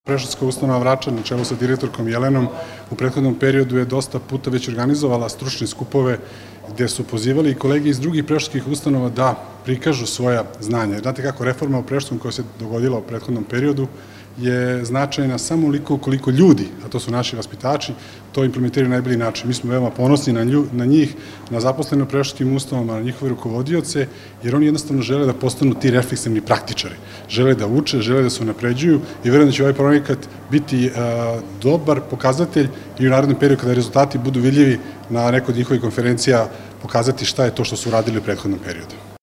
Predškolska ustanova Vračar na čelu sa direktorkom Jelenom u prethodnom periodu je dosta puta već organizovala stručne skupove gde su pozivali i kolege iz drugih predškolskih ustanova da prikažu svoja znanja. Znate kako, reforma u predškolskom koja se dogodila u prethodnom periodu je značajna samo uliko koliko ljudi, a to su naši vaspitači, to implementiraju na najbolji način. Mi smo veoma ponosni na njih, na zaposlene u predškolskim ustanovama, na njihove rukovodioce, jer oni jednostavno žele da postanu ti refleksivni praktičari. Žele da uče, žele da se unapređuju i verujem da će ovaj projekat biti dobar pokazatelj i u narednom periodu kada rezultati budu vidljivi na nekoj od njihovih konferencija pokazati šta je to što su uradili u prethodnom periodu.